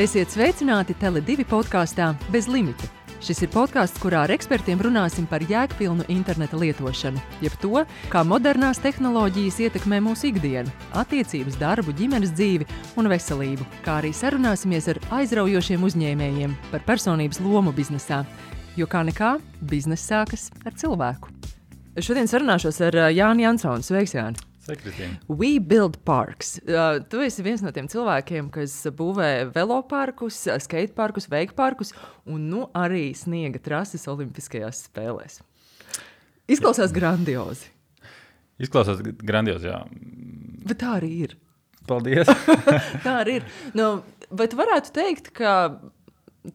Esiet sveicināti Tele2 podkāstā Bez limita. Šis ir podkāsts, kurā ar ekspertiem runāsim par jēgpilnu interneta lietošanu, jeb to, kā modernās tehnoloģijas ietekmē mūsu ikdienu, attiecības, darbu, ģimenes dzīvi un veselību, kā arī sarunāsimies ar aizraujošiem uzņēmējiem par personības lomu biznesā, jo kā nekā, biznesa sākas ar cilvēku. Šodien sarunāšos ar Jāni Jansonu. Sveiks, Jāni! Sveiki, Kristīna! We build parks. Tu esi viens no tiem cilvēkiem, kas būvē veloparkus, skateparkus, veikparkus un arī sniega trases olimpiskajās spēlēs. Izklausās grandiozi. Izklausās grandiozi, jā. Bet tā arī ir. Paldies! Tā arī ir. Vai tu varētu teikt, ka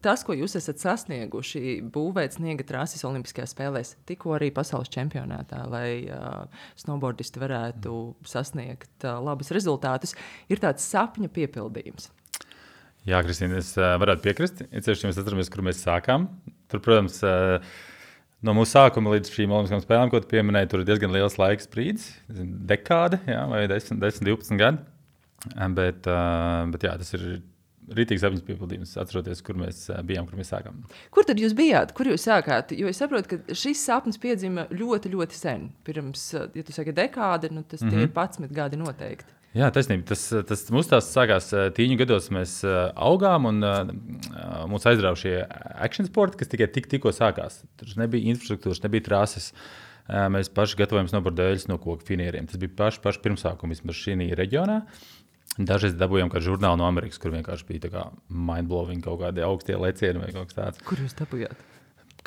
tas, ko jūs esat sasnieguši, būvēt sniega trases olimpiskajās spēlēs, tikko arī pasaules čempionātā, lai snowboardisti varētu sasniegt labus rezultātus, ir tāds sapņa piepildījums? Jā, Kristīna, es varētu piekrist. Ceļš, mēs atceramies, kur mēs sākām. Tur, protams, no mūsu sākuma līdz šīm olimpiskajām spēlēm, ko tu pieminēji, tur ir diezgan liels laiks sprīdis, dekāde, jā, vai 10-12 gadi. Bet jā, tas ir rītīgs apziņas piepildījums, atceroties, kur mēs bijām, kur mēs sākām. Kur tad jūs bijāt? Kur jūs sākāt? Jo es saprotu, ka šis sapnis piedzima ļoti, ļoti sen. Pirms, ja tu saki dekāde, tas tie ir 11 gadi noteikti. Jā, taisnība. Tas mūsu tās sākās tīņu gados, mēs augām un mūs aizrauja šie action sporti, kas tikai tikko sākās. Tur nebija infrastruktūras, nebija trases. Mēs paši gatavojam snowboardēļus no koku finieriem. Tas bija paši pirmsākumi vismaz šī reģionā. Dažreiz dabūjām kādu žurnālu no Amerikas, kur vienkārši bija tā kā mind-blowing kaut kādi augstie lecieni vai kaut kas tāds. Kur jūs dabūjāt?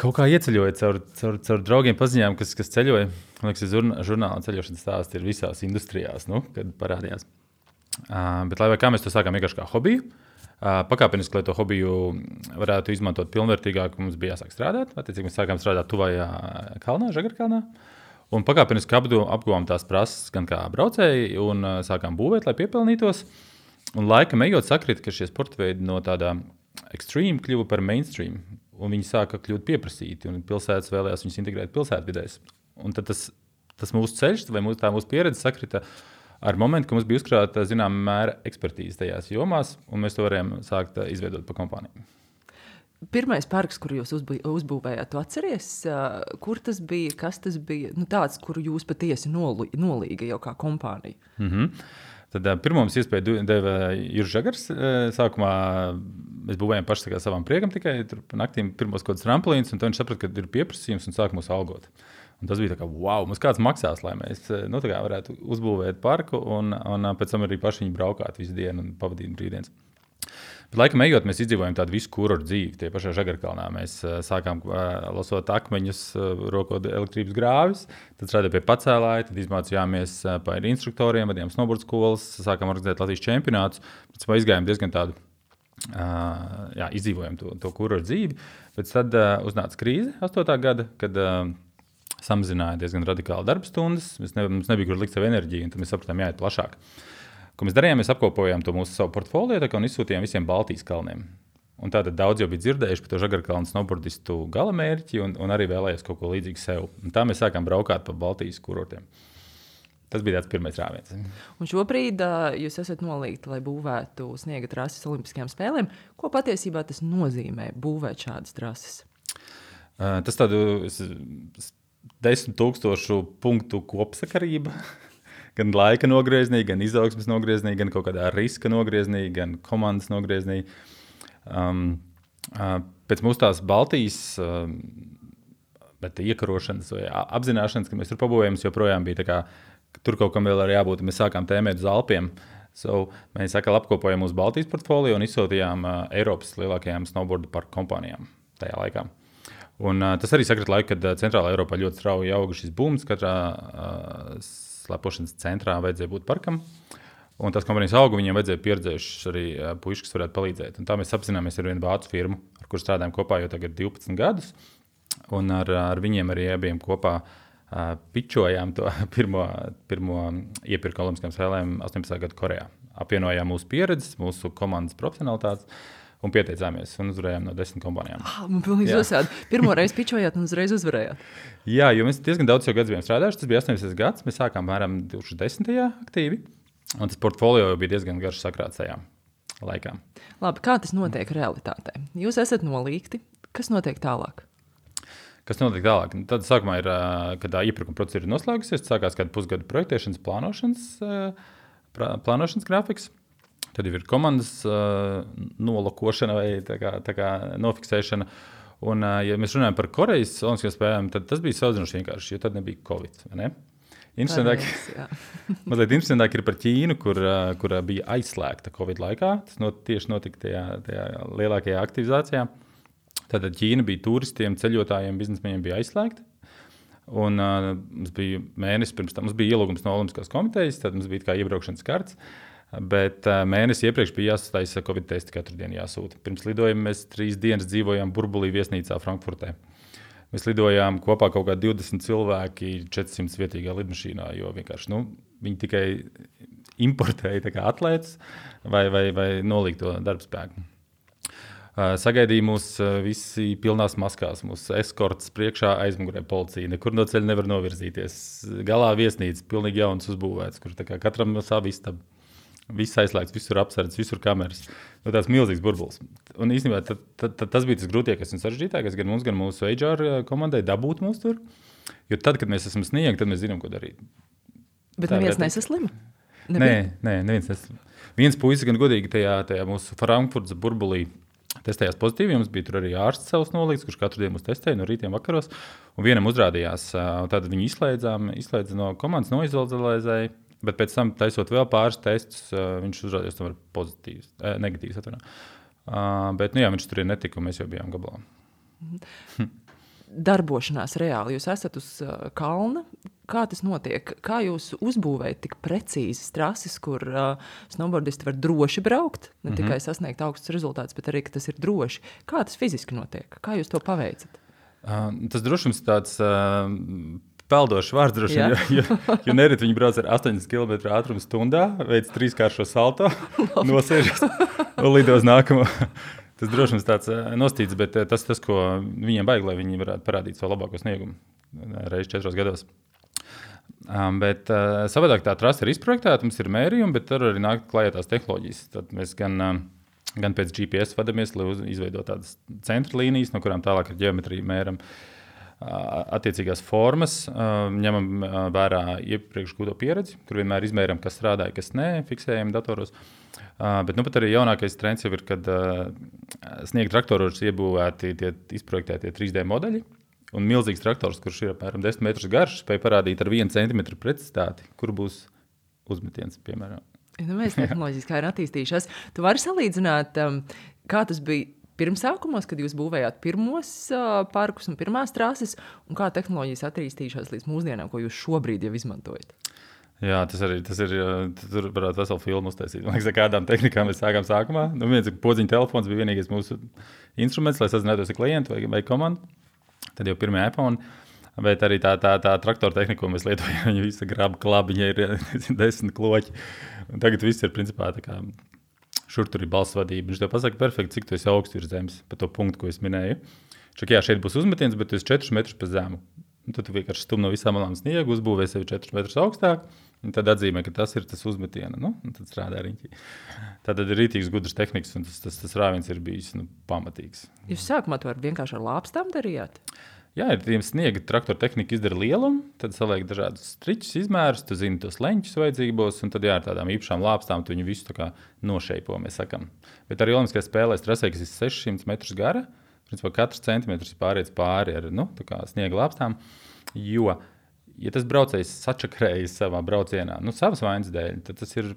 Kaut kā ieceļojot caur draugiem paziņām, kas ceļoja. Man liekas, žurnāla ceļošanas stāsti ir visās industrijās, kad parādījās. Bet lai vai kā mēs to sākām vienkārši kā hobiju, pakāpeniski, lai to hobiju varētu izmantot pilnvērtīgāk, mums bija jāsāk strādāt. Attiecīgi mēs sākām strādāt tuvajā kalnā, Žagarkalnā. Un pakāpeniski apguvām tās prases gan kā braucēji un sākām būvēt, lai piepelnītos. Un laikam ejot sakrita, ka šie sporta veidi no tādā extreme kļuva par mainstream. Un viņi sāka kļūt pieprasīti un pilsētas vēlējās viņus integrēt pilsētvidēs. Un tad tas mūsu ceļš vai mūsu pieredze sakrita ar momentu, ka mums bija uzkrāta zināmā mēra ekspertīze tajās jomās, un mēs to varējām sākt izveidot pa kompāniju. Pirmais parks, kuru jūs uzbūvējāt, tu atceries, kur tas bija, kas tas bija? Tāds, kuru jūs patiesi nolīga jau kā kompānija. Tad pirmo mums iespēju deva Juris Žagars. Sākumā mēs būvējām paši savam priekam tikai pa naktīm pirmos kaut kāds tramplīns, un tad viņš saprata, ka ir pieprasījums un sāk mūs algot. Un tas bija tā kā, wow, mums kāds maksās, lai mēs varētu uzbūvēt parku un pēc tam arī paši viņi braukāt visu dienu un pavadīt brīvdienas. Bet laikam ejot, mēs izdzīvojam tādu visu kurortu dzīvi. Tie pašā Žagarkalnā mēs sākām lasot akmeņus, rokot elektrības grāvis, tad strādājām pie pacēlāja, tad izmācījāmies par instruktoriem, vadījām snowboard skolas, sākām organizēt Latvijas čempionātus, pēc tam izgājām diezgan tādu, izdzīvojam to kurortu dzīvi. Pēc tad uznāca krīze 8. gada, kad samazināja diezgan radikāli darba stundas, mums nebija kur likt savu enerģiju, un tad mēs sapratām jāiet plašāk. Ko mēs darījām, mēs apkopojām to mūsu savu portfolio un izsūtījām visiem Baltijas kalniem. Un tātad daudz jau bija dzirdējuši par to Žagarkalnu snowboardistu galamērķi un arī vēlējās kaut ko līdzīgu sev. Un tā mēs sākām braukāt pa Baltijas kurortiem. Tas bija tāds pirmais rāviens. Un šobrīd jūs esat nolīgti, lai būvētu sniega trases olimpiskajām spēlēm. Ko patiesībā tas nozīmē būvēt šādas trases? Tas tādu 10,000 punktu kopsakarība. Gan laika nogrieznī, gan izaugsmes nogrieznī, gan kaut kādā riska nogrieznī, gan komandas nogrieznī. Pēc mūsu tās Baltijas iekarošanas vai apzināšanas, kad mēs tur pabūvējām, joprojām bija tā kā, tur kaut kam vēl arī jābūt, mēs sākām tēmēt uz Alpiem. Mēs atkal apkopojām mūsu Baltijas portfolio un izsūtījām Eiropas lielākajām snowboardu parku kompānijām tajā laikā. Un tas arī sakrit laiku, kad Centrālā Eiropā ļoti strauji auga šis bums, katrā slepošanas centrā vajadzēja būt parkam. Un tās kompānijas auga, viņiem vajadzēja pieredzējušas arī puiši, kas varētu palīdzēt. Un tā mēs apzināmies ar vienu vācu firmu, ar kuru strādājam kopā jau tagad 12 gadus. Un ar viņiem arī bijām kopā pičojām to pirmo iepirku olimpiskajām spēlēm 18. gadu Korejā. Apvienojām mūsu pieredzes, mūsu komandas profesionalitātes un pieteicāmies un uzvarējām no 10 kompānijām. Man pilnīgi uzsādi. Pirmo reizi pičojāt un uzreiz uzvarējāt. Jā, jo mēs diezgan daudz jau gadus bijām strādājuši. Tas bija 18. gads. Mēs sākām mēram 2010. aktīvi. Un tas portfolio bija diezgan garš sakrāts tajā. laikā. Labi, kā tas notiek realitātē? Jūs esat nolīgti. Kas notiek tālāk? Kas notiek tālāk? Tad sākumā ir, kad iepirkuma procedūra ir noslēgusies, sākās kāda pusgada projektēšanas, plānošanas grafiks. Tad jau ir komandas nolokošana vai tā kā nofiksēšana. Un, ja mēs runājam par Korejas olimpiskajām spēlēm, tad tas bija salīdzinoši vienkārši, jo tad nebija Covid. Ne? Mazliet interesantāk ir par Ķīnu, kur bija aizslēgta Covid laikā. Tas tieši notika tajā lielākajā aktivizācijā. Tātad Ķīna bija turistiem, ceļotājiem, biznesmeņiem bija aizslēgta. Un mums bija mēnesis pirms tam, mums bija ielūgums no Olimpiskās komitejas, tad mums bija kā iebraukšanas karts. Bet mēnesi iepriekš bija jāsataisa Covid testi, katru dienu jāsūta. Pirms lidojuma mēs 3 dienas dzīvojām burbulī viesnīcā Frankfurtē. Mēs lidojām kopā kaut kā 20 cilvēki 400 vietīgā lidmašīnā, jo vienkārši viņi tikai importēja tā kā atlētas vai nolīgto darbspēku. Sagaidīja mūs visi pilnās maskās, mūsu eskorts priekšā aizmugurē policija. Nekur no ceļa nevar novirzīties. Galā viesnīca, pilnīgi jauns uzbūvēts, kur tā kā katram no savu istabu. Viss aizslēgts, visur apsardzes, visur kameras. Tāds milzīgs burbulis. Un īstenībā tas bija tas grūtākais un sarežģītākais gan mums, gan mūsu HR komandai dabūt mūs tur. Jo tad, kad mēs esam sniegti, tad mēs zinām, ko darīt. Bet neviens nesaslima? Nē, neviens nesaslima. Viens puisis gan godīgi tajā mūsu Frankfurtas burbulī testējās pozitīvi. Mums bija tur arī ārsts savs nolīgts, kurš katru dienu mūs testēja no rītiem vakaros. Un vienam uzrādījās, tad viņu izslēdza no komandas, noizolēzēja. Bet pēc tam, taisot vēl pāris testus, viņš uzrādījās tomēr pozitīvs, negatīvs. Bet viņš tur netika, un mēs jau bijām gabalā. Darbošanās reāli. Jūs esat uz kalna. Kā tas notiek? Kā jūs uzbūvējat tik precīzas trases, kur snowboardisti var droši braukt? Ne tikai sasniegt augstus rezultātus, bet arī, ka tas ir droši. Kā tas fiziski notiek? Kā jūs to paveicat? Tas drošums tāds... peldošs vārds droši vien, jo nereti viņi brauc ar 80 km ātrumu stundā, veic 3-kāršo salto, nosēžas un lido uz nākamo. Tas drošums tāds nostīts, bet tas, ko viņiem vajag, lai viņi varētu parādīt savu labāko sniegumu reiz 4 gados. Bet savādāk tā trasa ir izprojektēta, mums ir mērījumi, bet tur arī nāk klājā tās tehnoloģijas. Tad mēs gan pēc GPS vadamies, lai izveidot tādas centra līnijas, no kurām tālāk ar ģeometriju mēram attiecīgās formas, ņemam vērā iepriekš gūto pieredzi, kur vienmēr izmēram, kas strādāja, kas nē, fiksējam datoros. Bet pat arī jaunākais trends jau ir, kad sniega traktoros iebūvēti izprojektētie 3D modeļi, un milzīgs traktors, kurš ir apmēram 10 metrus garš, spēj parādīt ar 1 centimetru precizitāti, kur būs uzmetiens, piemēram. Mēs tehnoloģiski kā ir attīstījušās. Tu vari salīdzināt, kā tas bija pirmsākumos, kad jūs būvējāt pirmos parkus un pirmās trases, un kā tehnoloģijas attīstījušās līdz mūsdienām, ko jūs šobrīd jau izmantojat? Jā, tas ir, tur varētu veselu filmu uztaisīt. Man liekas, ar kādām tehnikām mēs sākām sākumā. Viens podziņa telefons bija vienīgais mūsu instruments, lai sazinātos ar klientu vai komandu. Tad jau pirmie iPhone, bet arī tā traktora tehnika, ko mēs lietojam, viņa visa graba klabiņa ir 10 kloķi. Un tagad viss ir principā tā kā šur tur ir balss vadība. Viņš tev pasaka perfekti, cik tu esi augsts virs zemes pa to punktu, ko es minēju. Šeit būs uzmetiens, bet tu esi 4 metrus pa zemu. Un tad tu vienkārši stum no visām malām sniegu, uzbūvē sevi 4 metrus augstāk, un tad atzīmē, ka tas ir tas uzmetiena. Un tad strādā riņķi. Tad ir rītīgs gudrs tehnikas, un tas rāviens ir bijis pamatīgs. Jūs sākumā to vienkārši ar lāpstām darījāt? Jā, ir tiem sniega traktora tehnika izdara lielumu, tad saliek dažādus striķus, izmērus, tu zini tos leņķus vajadzīgos, un tad ar tādām īpašām lāpstām tu viņu visu tā kā nošeipo, mēs sakam. Bet arī olimpiskajās spēlēs trasē, kas ir 600 metrus gara, principā katrs centimetrs ir pāriets pāri ar tā kā sniega lāpstām, jo, ja tas braucējs sačakrējas savā braucienā, savas vainas dēļ, tad tā ir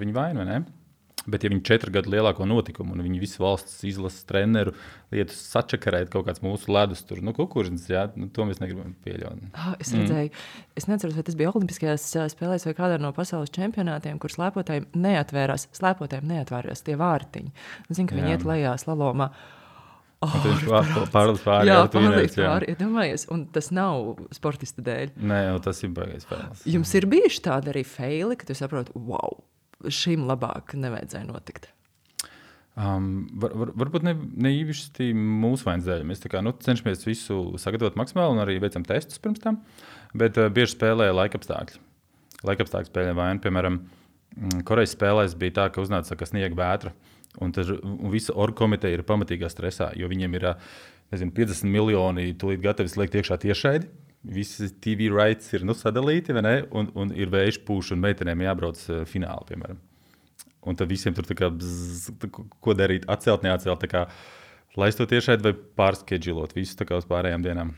viņa vaina, vai ne? Bet ja viņi 4 gadu lielāko notikumu, un viņi visu valsts izlases treneru lietu sačakarēt kaut kāds mūsu ledus tur, kukurdzes, to mēs negribam pieļaut. Es redzēju, es neceros, vai tas bija Olimpiskajās spēlēs vai kādā no pasaules čempionātiem, kur slēpotājiem neatvērās tie vārtiņi. Zinu, ka viņi iet lejā slalomā. Pārlīdz pāri. Jā, pārlīdz pāri. Domājies, un tas nav sportista dēļ. Nē, tas ir baigais spēles. Jums ir bijuši tādi arī feili, ka tu saproti, wow, šim labāk nevajadzēja notikt? Varbūt ne īpaši mūsu vainas dēļ. Mēs cenšamies visu sagatavot maksimāli un arī veicam testus pirms tam, bet bieži spēlē laikapstākļi. Laikapstākļi spēlē vainu, piemēram, Korejas spēlēs bija tā, ka uznāca sniega vētra. Un visa orgkomiteja ir pamatīgā stresā, jo viņiem ir 50 miljoni tūlīt gatavi slēgt iekšā tiešraidi. Visi TV rights ir sadalīti, un ir vējš pūš, un meitenēm jābrauc fināli, piemēram. Un tad visiem tur ko darīt, atcelt, neatcelt, laist to tiešraidi vai pārskedžilot visu uz pārējām dienām.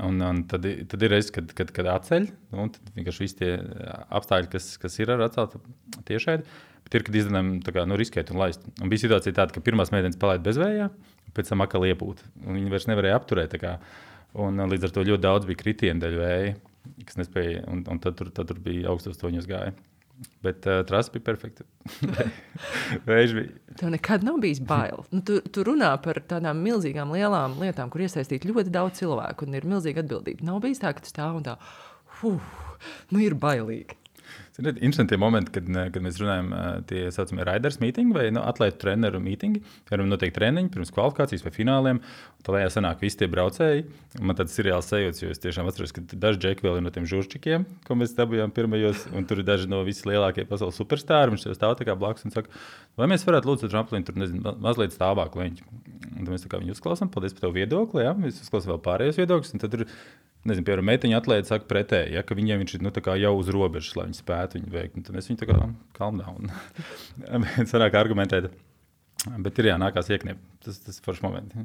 Un tad ir reizes, kad atceļ, un tad vienkārši visi tie apstākļi, kas ir ar atceltu tiešraidi, bet ir, kad izdarām riskēt un laist. Un bija situācija tāda, ka pirmās meitenes palaida bezvējā, pēc tam atkal iepūt. Un viņi vairs nevarēja apturēt. Un līdz ar to ļoti daudz bija kritienu dēļ vēja, kas nespēja, un tad tur bija augstos toņos gāja. Bet trasa bija perfekta. Vējš bija. Tev nekad nav bijis bail. Tu runā par tādām milzīgām lielām lietām, kur iesaistīt ļoti daudz cilvēku un ir milzīga atbildība. Nav bijis tā, ka tu stāv un tā, ir bailīgi. Interesanti momenti, kad mēs runājam tie saucamie riders meetingi vai atlētu treneru meetingi. Piemēram, notiek treniņi pirms kvalifikācijas vai fināliem. Tad lejā sanāk visi tie braucēji. Man tāds seriāls sajūts, jo es tiešām atceros, ka daži džeki vēl ir no tiem žurčikiem, ko mēs dabūjām pirmajos, un tur ir daži no vislielākie pasaules superstāri. Viņš stāv tā kā blakus un saka, vai mēs varētu lūdzu tramplīnu tur, nezinu, mazliet stāvāk leņķi. Un tad mēs viņu uzklausām, paldies par tavu viedokli, jā. Mēs uzklausām vēl pārējos viedokļus, un tad tur nezinu, piemēram, meiteņa atlēta saka pretēji, ka viņiem viņš ir jau uz robežas, lai viņi spētu viņu veikt. Tad mēs viņu calm down. Sanāk argumentēt. Bet ir nākās iekniept. Tas foršs moments.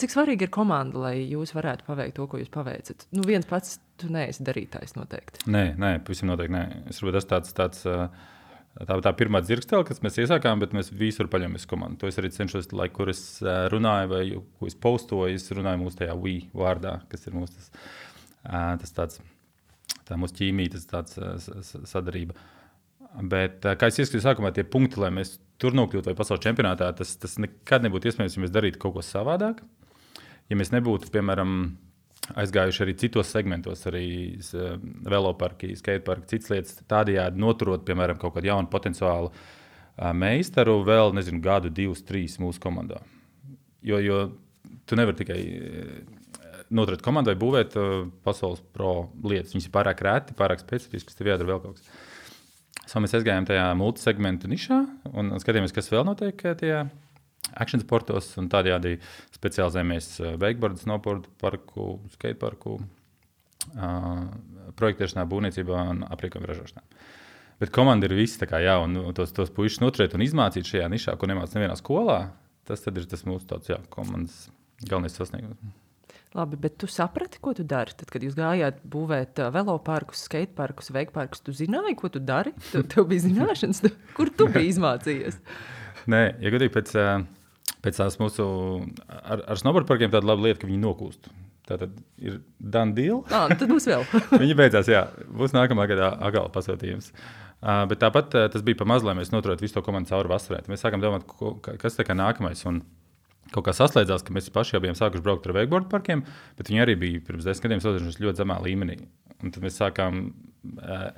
Cik svarīgi ir komanda, lai jūs varētu paveikt to, ko jūs paveicat? Viens pats tu neesi darītājs noteikti. Nē, pavisam noteikti nē. Es varbūt tāds tā pirmā dzirkstele, kas mēs iesākām, bet mēs visur paļamies komandu. To es arī cenšos, lai kur es runāju vai ko es postoju, es runāju mūsu tajā we vārdā, kas ir mūsu tā mūsu ķīmija, tāds sadarība. Bet, kā es ieskatīju sākumā, tie punkti, lai mēs tur nokļūtu vai pasaules čempionātā, tas nekad nebūtu iespējams, ja mēs darītu kaut ko savādāk. Ja mēs nebūtu, piemēram, aizgājuši arī citos segmentos, arī veloparki, skateparki, citas lietas, tādējādi noturot, piemēram, kaut kādu jaunu potenciālu meistaru vēl, nezinu, gadu, 2, 3 mūsu komandā. Jo tu nevari tikai noturēt komandu vai būvēt pasaules pro lietas. Viņas ir pārāk rēti, pārāk specifiskas, tev jādara vēl kaut kas. Mēs aizgājām tajā multisegmentu nišā un skatījāmies, kas vēl notiek tajā action sportos un tādējādi specializējamies wakeboard, snowboard parku, skateparku, projektēšanā, būvniecībā un aprīkojumu ražošanā. Bet komanda ir visi un tos puišus noturēt un izmācīt šajā nišā, ko nemāc nevienā skolā, tas tad ir tas mūsu tāds, komandas galvenais sasniegums. Labi, bet tu saprati, ko tu dari? Tad, kad jūs gājāt būvēt veloparkus, skateparkus, wakeparkus, tu zināji, ko tu dari? Tev bija zināšanas, kur tu biji izmācījies? Nē, ja godīgi pēc tās mūsu ar snowboard parkiem tāda laba lieta, ka viņi nokūst. Tātad ir done deal. Tad būs vēl. Viņi beidzās, jā. Būs nākamā gadā atkal pasūtījums. Bet tāpat tas bija pa maz, lai mēs noturētu visu to komandu cauri vasarai. Mēs sākām domāt, kas tā kā nākamais. Un kaut kā saslēdzās, ka mēs paši jau bijām sākuši braukt ar wakeboard parkiem, bet viņi arī bija pirms 10 gadiem sodījušies ļoti zemā līmenī. Un tad mēs sākām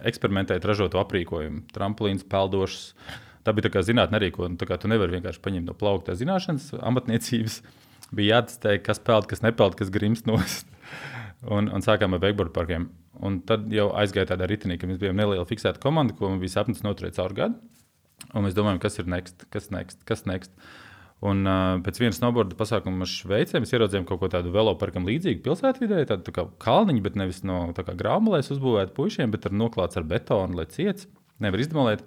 eksperimentēt, ražot aprīkojumu, tramplīns, peldošas. Tā bija tā kā zinātne arī, ko tu nevari vienkārši paņemt no plaukta zināšanas, amatniecības. Bija jātestē, kas peld, kas nepeld, kas grimst nost. Un sākām ar wakeboard parkiem. Un tad jau aizgāja tādā ritinī, ka mēs bijām neliela fiksēta komanda, ko mums bija sapnis noturēt caur gadu. Un mēs domājam, kas ir next. Un pēc viena snowboarda pasākuma Šveicē mēs ieraudzījām kaut ko tādu veloparkam līdzīgu pilsētvidē, tādu kā kalniņu, bet nevis no graumalēs uzbūvēt puišiem, bet noklāts ar betonu, lai ciets, nevar izdemolēt.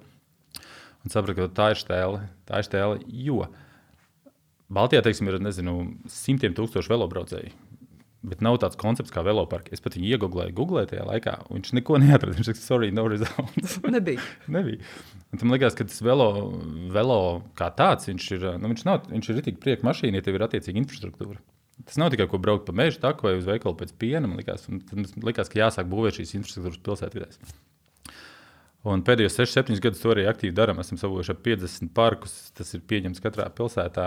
Un sapratu, ka tā ir štēle, jo Baltijā, teiksim, ir, nezinu, 100,000 velobraucēji, bet nav tāds koncepts kā veloparki. Es pat viņu ieguglēju tajā laikā, un viņš neko neatrada. Viņš saka, sorry, no results. Nebija. Un tam likās, ka tas velo kā tāds, viņš ir ritīgi prieka mašīna, ja tev ir attiecīga infrastruktūra. Tas nav tikai, ko braukt pa mežu taku vai uz veikalu pēc piena, man likās, ka jāsāk būvēt šīs infrastruktūras pilsētvidēs. Un pēdējos 6-7 gadus to arī aktīvi darām. Esam savuši ap 50 parkus. Tas ir pieņemts katrā pilsētā.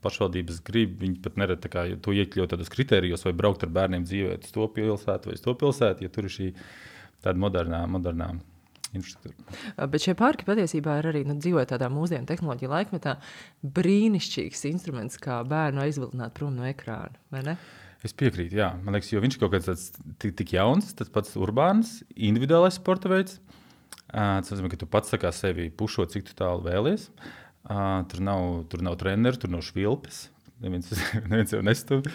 Pašvaldības grib. Viņi pat nerad to iekļaut tādos kritērijos vai braukt ar bērniem dzīvēt uz to pilsētu vai uz to pilsētu, ja tur ir šī tāda modernā infrastruktūra. Bet šie parki patiesībā ir arī dzīvojot tādā mūsdienu tehnoloģiju laikmetā brīnišķīgs instruments, kā bērnu aizvilināt prom no ekrāna, vai ne? Es piekrītu, jā. Man liekas, jo viņš kaut kāds tāds tik jauns, tas pats urbāns, individuālais sporta veids. Tas nozīmē, ka tu pats tā kā sevi pušo, cik tu tālu vēlies. Tur nav treneru, tur nav švilpes. Neviens jau nestumj,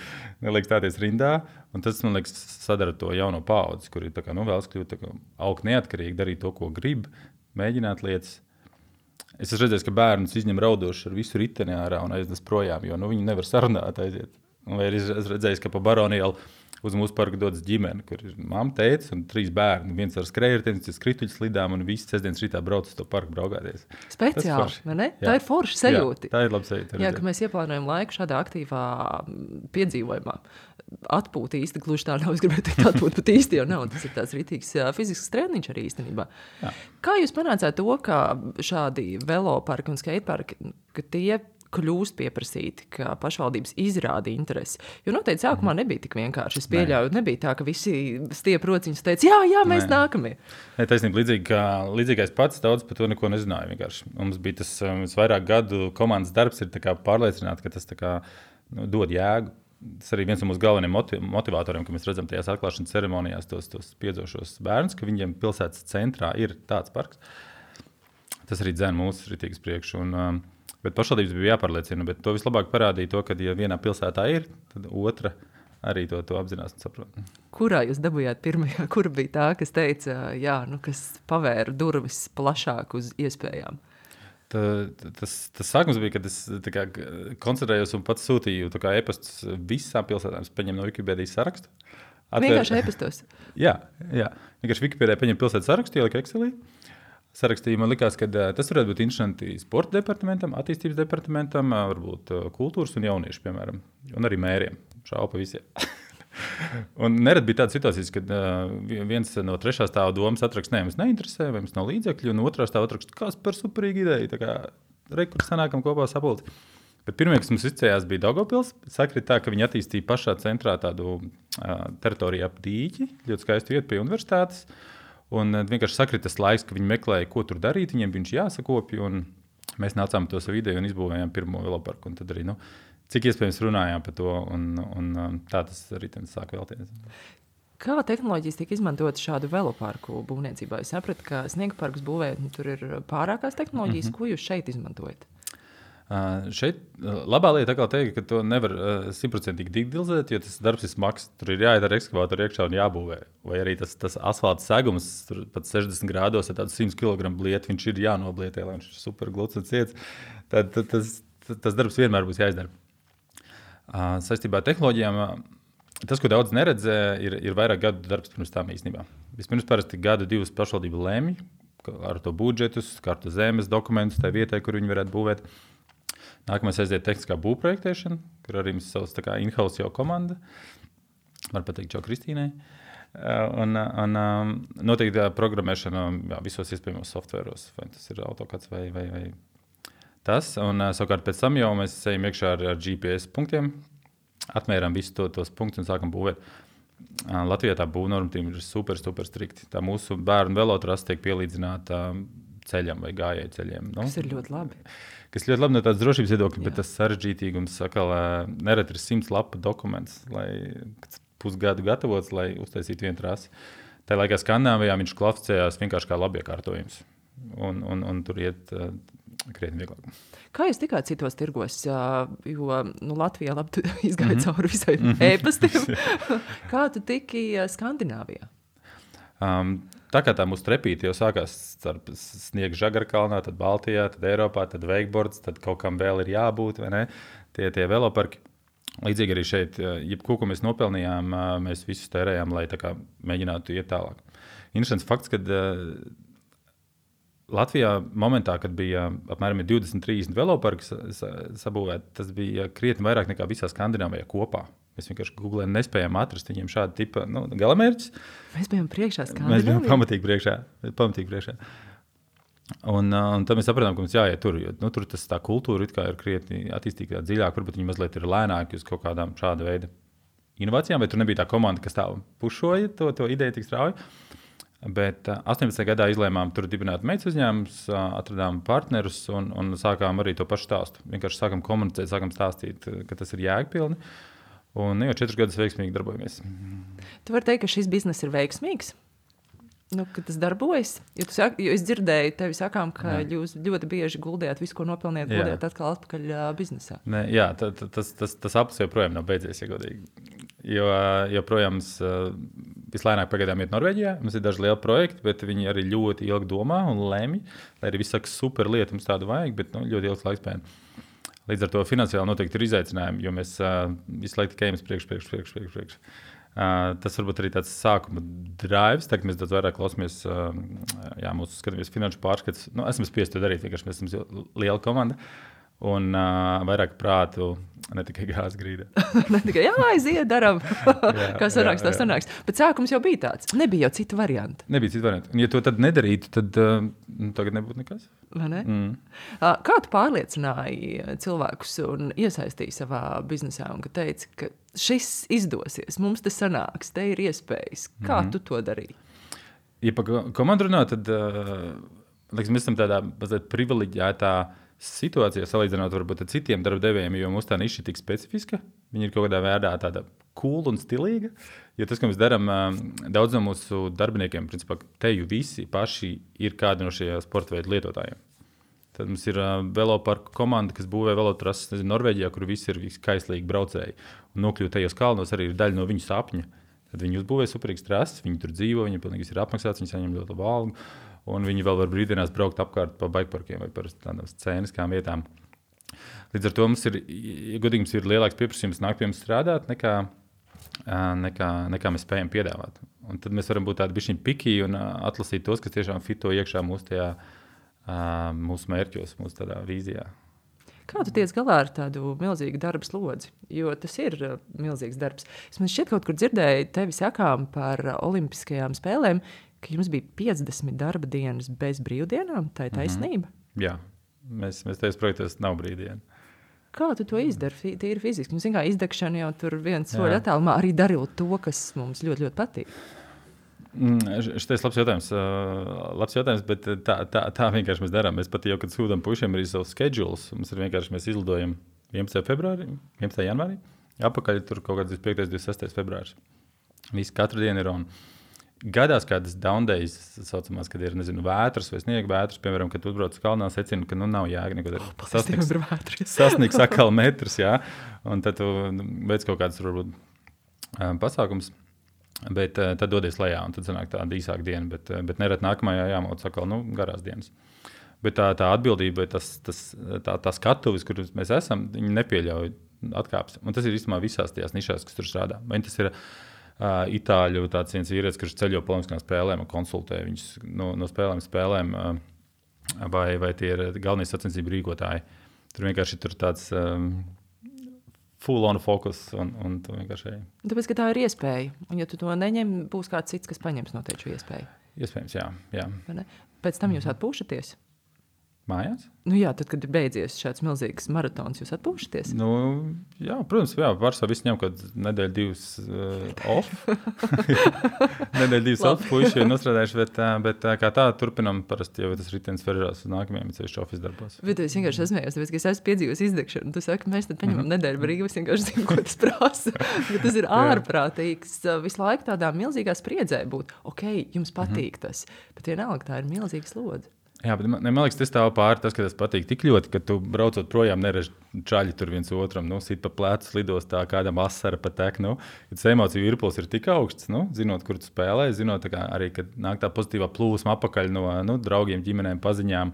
neliek stāties rindā. Un tas, man liekas, sadara to jauno paudzi, kur ir tā kā, vēlas kļūt augt neatkarīgi, darīt to, ko grib, mēģināt lietas. Es esmu redzējis, ka bērnus izņem raudoši ar visu riteni ārā un aiznes projām, jo viņi nevar sarunāt aiziet. Vai es redzēju, ka pa Baronielu uz mūsu parku dodas ģimene, kur ir mamma, tētis un 3 bērni. Viens ar skrējējiem, skrituļu slidām un visi sestdienas rītā brauc uz to parku braukāties. Speciāli, vai ne? Tā ir forša sajūta. Jā, tā ir laba sajūta. Jā, ka mēs ieplānojam laiku šādā aktīvā piedzīvojumā. Atpūta īsti gluži tā nav, es gribētu teikt, atpūta pat īsti jau nav. Tas ir tāds ritīgs fizisks treniņš arī īstenībā. Jā. Kā jūs panācāt to, ka šādi veloparki un skateparki, ka tie kļūst pieprasīti, ka pašvaldības izrāda interesi? Jo noteikti sākumā nebija tik vienkārši. Es pieļauju, nebija tā, ka visi stiep rociņus teica, jā, mēs nākamie. Nē, taisnība, līdzīgais pats daudz par to neko nezināju vienkārši. Mums bija tas vairāk gadu komandas darbs ir tā kā pārliecināt, ka tas tā kā dod jēgu. Tas arī viens no mūsu galvenajiem motivatoriem, ka mēs redzam tajās atklāšanas ceremonijās tos piedzošos bērnus, ka viņiem pilsētas centrā ir tāds parks. Tas arī dzēna mūsu ritīgas priekšu. Bet pašvaldības bija jāpārliecina, bet to vislabāk parādīja to, ka, ja vienā pilsētā ir, tad otra arī to apzinās un saprot. Kurā jūs dabūjāt pirmajā? Kura bija tā, kas teica, kas pavēra durvis plašāk uz iespējām? Tas sākums bija, kad es koncentrējos un pats sūtīju e-pastus visām pilsētām. Es paņēmu no Wikipēdijas sarakstu. Vienkārši e-pastos? Jā. Vienkārši Wikipēdijā paņēmu pilsētas sarakstu, ieliku Excelī. Sarakstīja, man likās, ka tas varētu būt interesanti sporta departamentam, attīstības departamentam, varbūt kultūras un jauniešu, piemēram, un arī mēriem. Šaubu pa visiem. Un nerad bija tādas situācijas, kad viens no 3. stāva domas atrakst, mums neinteresē, vai mums nav līdzekļu, un 2. stāva atrakst, kas par superīgu ideju, tā kā rekurs sanākam kopā sapulci. Bet pirmie, kas mums izcējās, bija Daugavpils. Sakrit tā, ka viņi attīstīja pašā centrā tādu teritoriju ap dīķi, ļoti skaistu vietu pie universitātes. Un vienkārši sakrita tas laiks, ka viņi meklēja, ko tur darīt, viņiem viņš jāsakopja, un mēs nācām to savu ideju un izbūvējām pirmo veloparku. Un tad arī, cik iespējams runājām par to, un tā tas arī sāk vēlties. Kā tehnoloģijas tiek izmantotas šādu veloparku būvniecībā? Es sapratu, ka sniega parkus būvējot, tur ir pārākās tehnoloģijas. Ko jūs šeit izmantojat? Šeit labā lieta teikt, ka to nevar 100% digitalizēt, jo tas darbs ir smags. Tur ir jāiet ar ekskavātoru iekšā un jābūvē. Vai arī tas asfalta segums, tur pat 60 grādos ar tādu 100 kg blietu, viņš ir jānoblietē, lai viņš ir super gluds un ciets. Tad tas darbs vienmēr būs jāizdara. Saistībā ar tehnoloģijām, tas, ko daudz neredzē, ir vairāk gadu darbs pirms tām īstenībā. Vispirms parasti gadu 2 pašvaldību lēmj ar to budžetus, kartu zemes dokumentus tai vietai, kur viņi varētu būvēt. Nākamais aiziet tehniskā būvprojektēšana, kur arī mums savs in-house jau komanda. Var pateikt čau Kristīnai. Un noteikti programmēšana visos iespējamos softvēros, vai tas ir AutoCAD vai tas. Un savukārt pēc tam jau mēs ejam iekšā ar GPS punktiem, atmērām visus tos punktus un sākam būvēt. Latvijā tā būvnormatīva ir super strikti. Tā mūsu bērnu velotrasa tiek pielīdzināta ceļam vai gājēju ceļiem. Tas ir ļoti labi. Kas ļoti labi no tādas drošības viedokļa, bet tas sarežģītīgums nereti ir 100 lapu dokuments, lai pusgadu gatavots, lai uztaisītu vienu trasi. Tā laikā Skandināvijā viņš klasificējās vienkārši kā labiekārtojums. Un tur iet krietni vieglāk. Kā jūs tikāt citos tirgos? Jo Latvijā labi izgāja cauri visai e-pastiem. Kā tu tiki Skandināvijā? Tā kā tā mūsu trepīte jau sākās starp sniega Žagarkalnā, tad Baltijā, tad Eiropā, tad wakeboards, tad kaut kam vēl ir jābūt, vai ne? Tie veloparki. Līdzīgi arī šeit, jebko, ko mēs nopelnījām, mēs visus tērējām, lai tā kā mēģinātu iet tālāk. Interesants fakts, kad Latvijā momentā, kad bija apmēram 20-30 veloparki sabūvēti, tas bija krietni vairāk nekā visā Skandināvijā kopā. Mēs vienkārši Googlē nespējām atrast viņiem šādu tipu galamērķus. Mēs bijām priekšā Skandināvijā. Mēs bijām pamatīgi priekšā. Un tad mēs sapratām, ka mums jāiet tur, jo tur tā kultūra ir krietni attīstīta dziļāk, varbūt viņi mazliet ir lēnāki uz kaut kādām šāda veida inovācijām, vai tur nebija tā komanda, kas tā pušoja to ideju tik strauji. Bet 18. gadā izlēmām tur dibināt meitas uzņēmumus, atradām partnerus un sākām arī to pašu stāstu. Vienkārši sākām komunicēt, sākām stāstīt, ka tas ir jēgpilni. Un jau 4 gadus veiksmīgi darbojamies. Tu vari teikt, ka šis biznes ir veiksmīgs? Ka tas darbojas. Jo es dzirdēju tevi sakām, ka jūs ļoti bieži guldījāt visu, ko nopelnījāt, guldījāt atkal atpakaļ biznesā. Tas aplis joprojām nav beidzies, ja godīgi. Jo joprojām vislēnāk pagaidām iet Norvēģijā. Mums ir daži lieli projekti, bet viņi arī ļoti ilgi domā un lemj. Lai arī viss saka, super lieta, mums tādu vajag, bet ļoti ilgs laiks pēc. Līdz ar to finansiāli noteikti ir izaicinājumi, jo mēs visu laiku tikai ejam priekš. Tas varbūt arī tāds sākuma drives, tagad mēs daudz vairāk klausāmies, mūsu skatāmies finanšu pārskats. Esam spiesti to darīt, vienkārši mēs esam liela komanda un vairāk prātu, ne tikai gāzes grīda. Ne tikai, aiziet, darām, kā sanāks, tā sanāks. Bet sākums jau bija tāds, nebija jau citu variantu. Un ja to tad nedarītu, tad tagad nebūtu nekas. Vai ne? Kā tu pārliecināji cilvēkus un iesaistīji savā biznesā un ka teici, ka šis izdosies, mums tas sanāks, te ir iespējas. Kā tu to darīji? Ja pa komandu runā, tad mēs esam tādā mazliet privileģētā situācijā salīdzinot varbūt ar citiem darbdevējiem, jo mūsu tā niša ir tik specifiska. Viņi ir kaut kādā veidā tāda cool un stilīga. Jo tas, ko mēs darām, daudz no mūsu darbiniekiem, principā teju visi paši ir kādi no šie sporta veidu lietotājiem. Tad mums ir veloparku komanda, kas būvē velotrases Norvēģijā, kur visi ir kaislīgi braucēji. Un nokļūt tajos kalnos arī ir daļa no viņu sapņa. Tad viņi uzbūvē superīgas trases, viņi tur dzīvo, viņi pilnīgi ir apmaksāts, viņi saņem ļoti labu algu. Un viņi vēl var brīvdienās braukt apkārt pa bikeparkiem vai par tādām scēniskām vietām. Līdz ar to mums ir, godīgi, mums ir lielāks pieprasījums nākt pie mums strādāt, nekā mēs spējam piedāvāt. Un tad mēs varam būt tādi bišķiņi piki un atlasīt tos, kas tiešām fito iekšā mūsu mērķos, mūsu tādā vīzijā. Kā tu tiec galā ar tādu milzīgu darba slodzi? Jo tas ir milzīgs darbs. Es man šķiet kaut kur dzirdēju tevi sakām par olimpiskajām spēlēm, ka jums bija 50 darba dienas bez brīvdienām. Tā ir taisnība? Jā, mēs tajos projektos nav brīvdiena. Kā tu to izdari? Tīri fiziski. Mums vienkārši izdegšana jau tur viens soļ attālumā arī darot to, kas mums ļoti, ļoti patīk. Šitais labs jautājums, bet tā vienkārši mēs darām. Mēs pat jau, kad sūdam pušiem arī savus schedules, mums ir vienkārši mēs izlidojam 11. janvārī, apakaļ tur kaut kāds 25. 26. februārs. Visi katru dienu ir on. Gadās kādas down days, saucamās, kad ir, vētras vai sniega vētras, piemēram, kad tu uzbrauc uz kalnā, secina, ka nav jēga neko darīt. Sasniegs atkal metrs, jā, un tad tu veic kaut kādas, varbūt, pasākums, bet tad dodies lejā, un tad sanāk tāda īsāka diena, bet nerad nākamajā jāmauc atkal, garās dienas. Bet tā atbildība, tā skatuves, kur mēs esam, viņi nepieļauj atkāpes. Un tas ir īstenībā visās tajās nišās, kas tur strādā. Vai tas ir Itāļu tāds viens vīrietis, kurš ceļo pa olimpiskām spēlēm un konsultē viņus no spēlēm, vai tie ir galvenie sacensību rīkotāji. Tur vienkārši ir tāds full on focus un tu vienkārši ej. Tāpēc, ka tā ir iespēja. Un ja tu to neņem, būs kāds cits, kas paņems noteikti šo iespēju. Iespējams, jā. Pēc tam jūs atpūšaties? Mājās? Jā, tad, kad ir beidzies šāds milzīgs maratons, jūs atpūšaties? Jā, protams, pārsvarā visi ņem kaut nedēļu divas off. Nedēļu divas off, puiši ir nostrādājuši, bet kā tā turpinam parasti, jo tas ritenis veržās uz nākamajiem, ceļš office darbos. Bet es vienkārši esmējos, tāpēc, ka es esmu piedzīvojis izdegšanu. Tu saki, mēs tad paņemam nedēļu brīvu, es vienkārši zinu, ko tas prasa. Tas ir ārprātīgs visu laiku tādā milzīgā spriedzē būt. Ok, jums patīk tas, bet vienalga tā ir milzīga slodze. Jā, bet man liekas, tas stāv pāri tas, ka tas patīk tik ļoti, ka tu braucot projām nereži čaļi tur viens otram, sit pa plecu lidostā, kādam asara patek, kad emociju virpuls ir tik augsts, zinot, kur tu spēlē, zinot arī, kad nāk tā pozitīvā plūsma apakaļ no draugiem, ģimenēm, paziņām,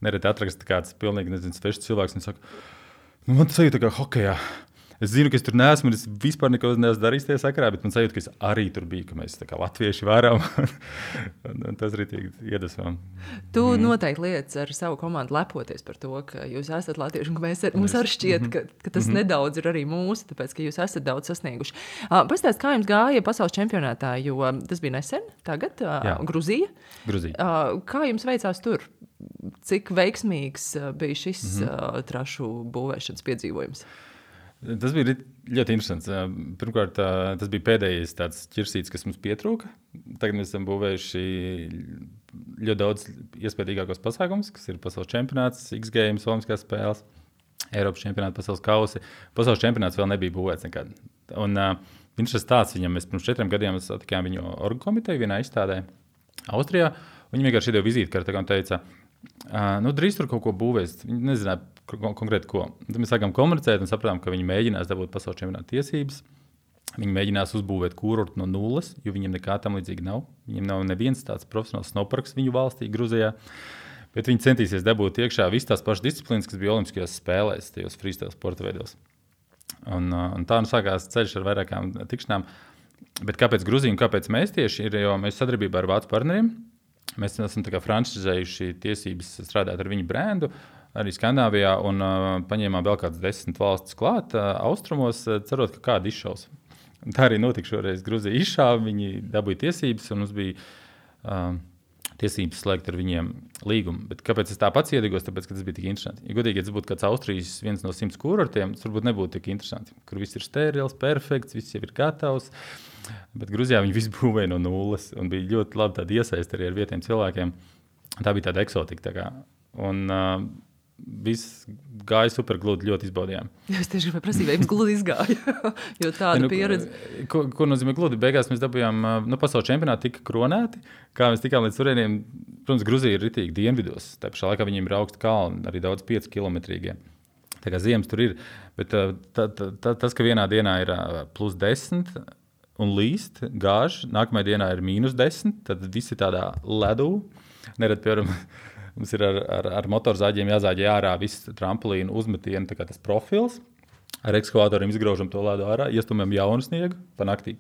nereti atrakst kāds pilnīgi, svešs cilvēks un saka, man tas sajūta kā hokejā. Es zinu, ka es tur neesmu, un es vispār neko neesmu darījis tajā sakarā, bet man sajūta, ka es arī tur biju, ka mēs tā kā latvieši varam. un tas arī tiek iedvesmojam. Tu noteikti lietas ar savu komandu lepoties par to, ka jūs esat latvieši, un ka mums arī šķiet, ka tas nedaudz ir arī mūsu, tāpēc, ka jūs esat daudz sasnieguši. Pastāst, kā jums gāja pasaules čempionātā, jo tas bija nesen, tagad, Gruzija. Kā jums veicās tur? Cik veiksmīgs bija šis trašu būvēšanas piedzīvojums? Tas bija ļoti interesants. Pirmkārt, tas bija pēdējais tāds ķirsīts, kas mums pietrūka. Tagad mēs esam būvējuši ļoti daudz iespējīgākos pasākumus, kas ir pasaules čempionāts, X-Games, olimpiskās spēles, Eiropas čempionāts, pasaules kausi. Pasaules čempionāts vēl nebija būvēts nekad. Un viņš ir tāds, viņam mēs pirms 4 gadiem satikām viņu orgu komiteju vienā izstādē. Austrijā. Viņi vienkārši iedeva vizītkarti un teica, drīz tur kaut ko būvēs. Viņi nezināja konkrēti ko. Tad mēs sākām komunicēt un sapratām, ka viņi mēģinās dabūt pasaules čempionāta tiesības. Viņi mēģinās uzbūvēt kurortu no nulles, jo viņiem nekā tam līdzīgi nav. Viņiem nav neviens tāds profesionāls snowparks viņu valstī, Gruzijā. Bet viņi centīsies dabūt iekšā visas tās pašas disciplīnas, kas bija Olimpiskajās spēlēs, tajos freestyle sporta veidos. Un tā sākās ceļš ar vairākām tikšanām. Bet kāpēc Gruzija un kāpēc mēs tieši ir, jo mēs sadarbībā ar vācu partneriem. Mēs esam franšizējuši tiesības strādāt ar viņu brendu, arī Skandināvijā, un paņēmām vēl kādas 10 valstis klāt austrumos, cerot, ka kāda izšaus. Tā arī notika šoreiz. Gruzija izšāva, viņi dabūja tiesības, un mums bija tiesības slēgt ar viņiem līgumu. Bet kāpēc es tā pats iedegos? Tāpēc, ka tas bija tik interesanti. Ja godīgi, ja tas būtu kāds Austrijas viens no 100 kurortiem, tas varbūt nebūtu tik interesanti. Kur viss ir sterils, perfekts, viss jau ir gatavs. Bet Gruzijā viņi visu būvēja no nulles, un bija ļoti labi tāda iesaiste arī ar vietējiem cilvēkiem. Tā bija tāda eksotika. Tā kā. Un viss gāja super gludi, ļoti izbaudījām. Es tieši gribēju prasīt, vai jums gludi izgāja, jo tāda pieredze. Ko nozīmē gludi? Beigās mēs dabūjām, pasaules čempionāti tika kronēti, kā mēs tikām līdz turieniem. Protams, Gruzija ir ritīgi dienvidos, tā pašā laikā viņiem ir augsti kalni, arī daudz 5 kilometrīgie. Tā kā ziemas tur ir, bet tas, ka vienā dienā ir plus 10 un līst, gāž, nākamajā dienā ir minus 10, tad visi tādā ledū, nerad, piemēram, mums ir ar motorzāģiem jāzāģē ārā viss trampolīnu uzmetienu, tā kā tas profils. Ar ekskavātoriem izgraužam to ledu ārā, iestumjam jaunu sniegu pa naktī.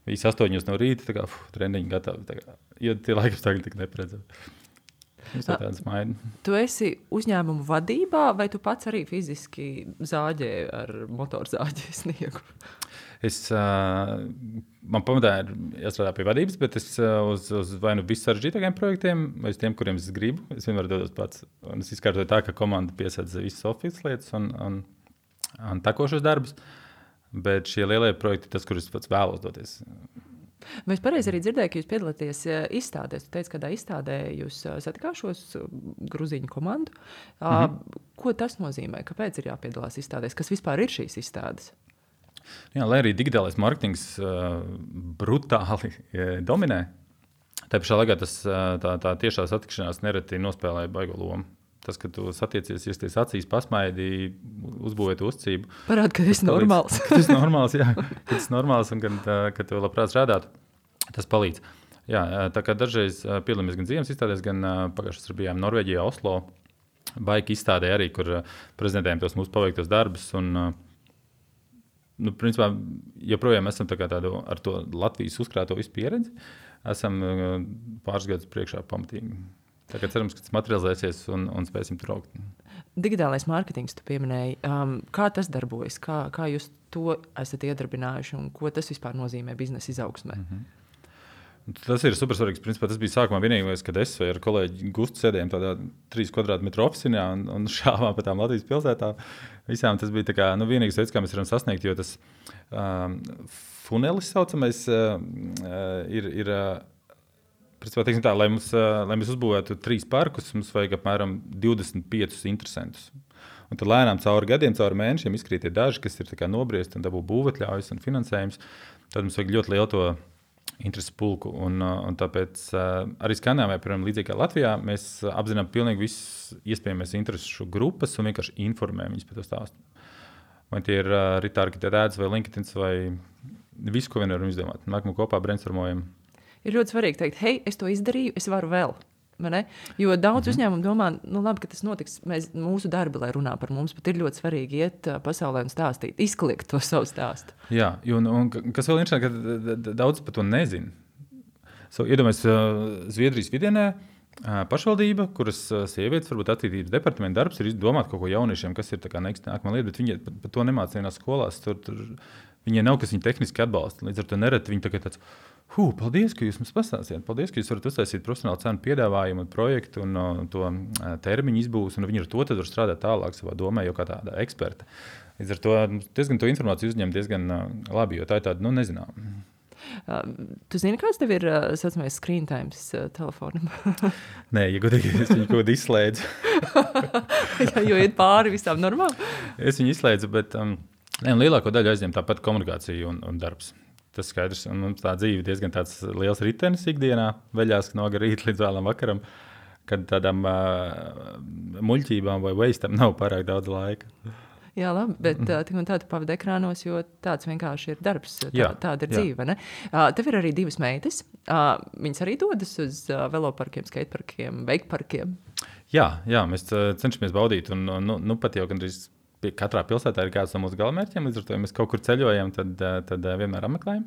Visi 8 no rīta, tā kā trendiņi gatavi. Tā kā, jo tie laikapstākļi tik neparedzami. Tu esi uzņēmumu vadībā, vai tu pats arī fiziski zāģē ar motorzāģi sniegu? Man pamatā ir jāstrādā pie vadības, bet es uz vai nu vissaržģītākajiem projektiem, vai uz tiem, kuriem es gribu, es vienmēr dodos pats. Un es izkārtoju tā, ka komanda piesadz visas office lietas un takošos darbus, bet šie lielie projekti ir tas, kur es pats vēlos doties. Vai es pareizi arī dzirdēju, ka jūs piedalāties izstādēs? Tu teici, kādā izstādē jūs satikāšos gruzīņu komandu. Ko tas nozīmē? Kāpēc ir jāpiedalās izstādēs? Kas vispār ir šīs izstādes? Jā, lai arī digitālais marketings brutāli dominē, tā pašā laikā tā tiešā satikšanās nereti nospēlē baigo lomu. Tas, ka tu satiecies, iesties acīs, pasmaidi, uzbūvēt uzticību. Parāda, ka esi normāls. Ka tas ir normāls, jā. Ka tas ir normāls un ka tu labprāt strādātu, tas palīdz. Jā, tā kā dažreiz piedalāmies gan ziemas izstādēs, gan pagājušas bijām Norvēģijā, Oslo, baika izstādē arī, kur prezentējam tos mūsu paveiktos darbus. Un, principā, joprojām esam tādu ar to Latvijas uzkrāto visu pieredzi. Esam pāris gadus priekšā pamatīgi. Tā kā cerams, ka tas materializēsies un spēsim tur augt. Digitālais mārketings, tu pieminēji. Kā tas darbojas? Kā jūs to esat iedarbinājuši un ko tas vispār nozīmē biznesa izaugsmē? Tas ir supersvarīgs. Principā tas bija sākumā vienīgais, kad es ar kolēģi Gustu sēdējām tādā 3 kvadrātmetru ofisinā un šāvām pa tām Latvijas pilsētām. Visām tas bija tā kā, vienīgais veids, kā mēs varam sasniegt, jo tas funelis saucamais ir principā, teiksim tā, lai mēs uzbūvētu 3 parkus, mums vajag apmēram 25 interesantus. Un tad lēnām cauri gadiem, cauri mēnešiem izkrīt tie daži, kas ir tā kā nobriesti un dabū būvatļaujas un finansējums. Tad mums vajag ļoti lielu to interesi pulku. Un tāpēc arī Skandināvijā, piemēram, līdzīgi kā Latvijā, mēs apzinām pilnīgi visas iespējamās interesu grupas un vienkārši informējam viņus par to stāstu. Vai tie ir Ritāra Ads vai LinkedIn vai visu, ko vien varam izdomāt. Nākamā kopā brainstormojam. Ir ļoti svarīgi teikt, hei, es to izdarīju, es varu vēl. Jo daudz uzņēmumu domā, labi, ka tas notiks, mūsu darbi, lai runā par mums, bet ir ļoti svarīgi iet pasaulē un stāstīt, izkliegt to savu stāstu. Jā, un kas vēl interesanti, ka daudz par to nezin. Iedomājies Zviedrijas vidienē pašvaldība, kuras sievietes, varbūt attīstības departamenta darbs ir domāt kaut ko jauniešiem, kas ir tā kā nākamā lieta, bet viņi par to nemāc vienās skolās, tur viņai nav, kas viņu tehniski atbalsta, līdz ar to nereti viņi tagad tāds, paldies, ka jūs mums pastāstījāt. Paldies, ka jūs varat uztaisīt profesionālu cenu piedāvājumu un projektu un to termiņu izbūs, un viņi ar to tad var strādāt tālāk savā domē, jau kā tāda eksperta. Līdz ar to diezgan to informāciju uzņem diezgan labi, jo tā ir tāda, nezinām. Tu zini, kāds tev ir saucamais screen times telefonam? Nē, ja godīgi, es viņu kaut kādu izslēdzu. Jo iet pāri visām normām? Es viņu izslēdzu, bet lielāko daļu aizņem tāpat komunikācija un darbs. Tas skaidrs, un mums tā dzīve diezgan tāds liels ritenis ikdienā, veļās no rīta līdz vēlam vakaram, kad tādām muļķībām vai wasteam nav pārāk daudz laika. Jā, labi, bet tik un tā tu pavadi ekrānos, jo tāds vienkārši ir darbs, tāda ir dzīve, ne? Tev ir arī 2 meitas, viņas arī dodas uz veloparkiem, skateparkiem, veikparkiem? Jā, mēs cenšamies baudīt, un pat jau gandrīz katrā pilsētā ir kāds no mūsu galamērķiem, līdz ar to, ja mēs kaut kur ceļojam, tad vienmēr apmeklējam.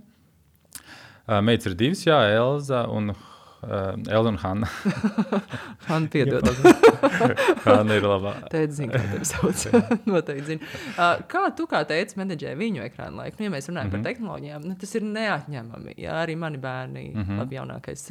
Meitas ir 2, Elza un Hanna. Hanna piedod. Hanna ir labā. Tēti zina, kā tevi sauc. Noteikti zina. Kā tu kā tētis menedžē viņu ekrānu laiku? Ja mēs runājam par tehnoloģijām, tas ir neatņemami. Jā, arī mani bērni, labi jaunākais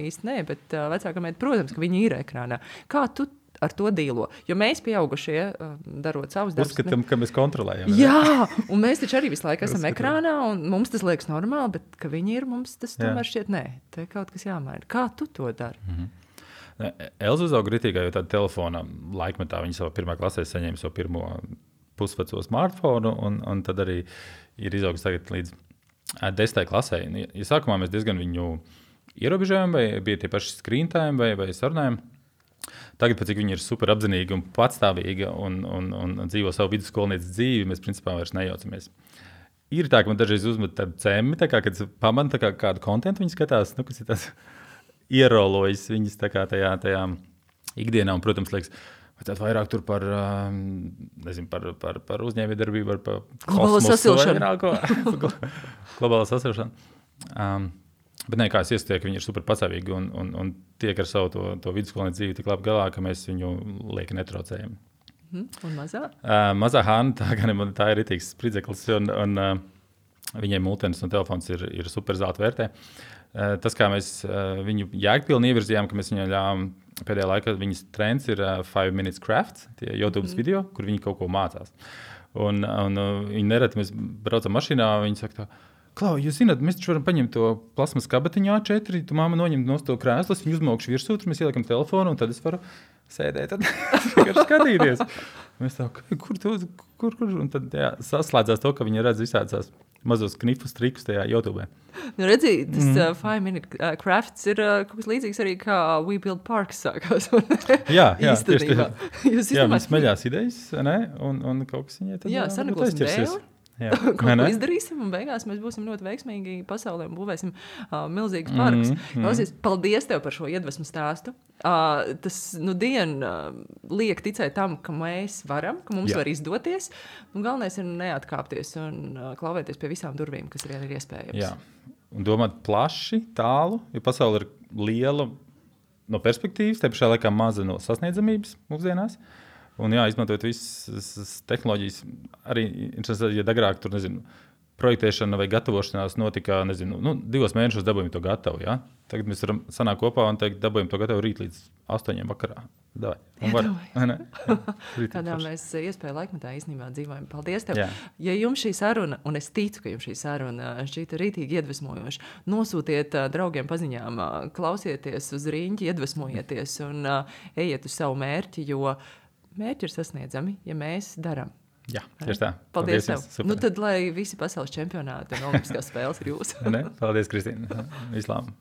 īsti nē, bet vecākā meita, protams, ka viņi ir ekrānā. Kā tu ar to dīlo? Jo mēs pieaugušie, darot savus darbus... Uzskatām, ka mēs kontrolējam. Jā, un mēs taču arī visu laiku esam ekrānā, un mums tas liekas normāli, bet ka viņi ir, mums tas tomēr šķiet nē. Te kaut kas jāmaina. Kā tu to dari? Elza uzauga ritīgā, jo tāda telefona laikmetā viņa savā 1. klasē saņēma savu pirmo pusveco smartphonu, un tad arī ir izaugs tagad līdz 10. klasē. Ja sākumā mēs diezgan viņu ierobežojam, vai bija tie paši screen time vai sarunājumi, tagad, pēc cik viņi ir super apzinīgi un patstāvīgi un dzīvo savu vidusskolnieces dzīvi, mēs principā vairs nejaucamies. Ir tā, ka man dažreiz uzmet tādu cemi, kad pamana kādu kontentu viņi skatās, kas ir tas ierolojas viņas tajā ikdienā. Un, protams, liekas, vajadzētu vairāk tur par uzņēmējdarbību, par globālo sasilšanu. Globālo sasilšanu. Bet nē, kā es iestieku, ka viņi ir super patstāvīgi un tiek ar savu to vidusskolnieku dzīvi tik labi galā, ka mēs viņu lieki netraucējam. Un mazā? Mazā Hanna, tā ir ritīgs spridzeklis, un viņai multenis un telefons ir super zelta vērtē. Tas, kā mēs viņu jēgpilni ievirzījām, ka mēs viņai ļāvām pēdējā laikā, viņas trends ir 5 minutes crafts, tie YouTube video, kur viņi kaut ko mācās. Un viņi nereti, mēs braucam mašīnā, viņi saka tā, Klau, jūs zināt, mēs taču varam paņemt to plasmas kabatiņu A4, tu māma noņemt no to krēslas, viņu uzmaukšu virsū, tur mēs ieliekam telefonu, un tad es varu sēdēt, tad skatīties. Mēs tā, kur? Un tad saslēdzās to, ka viņi redz visādās mazos knifus trikus tajā YouTube. Nu, redzi, tas 5 minute crafts ir kaut kas līdzīgs arī kā We Build Parks sākās. Jā, tieši tā. Jā, viņi smeļās idejas, ne? Un kaut kas viņai tad... Jā, sanaklosim dēli. Kaut ko izdarīsim, un beigās mēs būsim ļoti veiksmīgi pasaulē un būvēsim milzīgus parkus. Klausies, paldies tev par šo iedvesmu stāstu. Tas liek ticēt tam, ka mēs varam, ka mums var izdoties. Un galvenais ir neatkāpties un klauvēties pie visām durvīm, kas ir iespējams. Jā, un domāt plaši, tālu, jo pasaule ir liela no perspektīvas, te pašā laikā maza no sasniedzamības mūsdienās. Un izmantojot visas tehnoloģijas, arī, ja agrāk tur, projektēšana vai gatavošanās notika, 2 mēnešos dabūjam to gatavu, ja? Tagad mēs varam sanākt kopā un teikt, dabūjam to gatavu rīt līdz 8 vakarā. Kādā mēs iespēju laikmetā īstenībā dzīvojam. Paldies tev. Jā. Ja jums šī saruna, un es ticu, ka jums šī saruna šķīta rītīgi iedvesmojoša, nosūtiet draugiem paziņām, klausieties uz riņķi, iedvesmojieties un ejiet uz savu mērķi, jo mērķi ir sasniedzami, ja mēs darām. Jā, tieši tā. Paldies tev. Tad, lai visi pasaules čempionāti un olimpiskās spēles ir jūsu. Paldies, Kristīna. Vislām.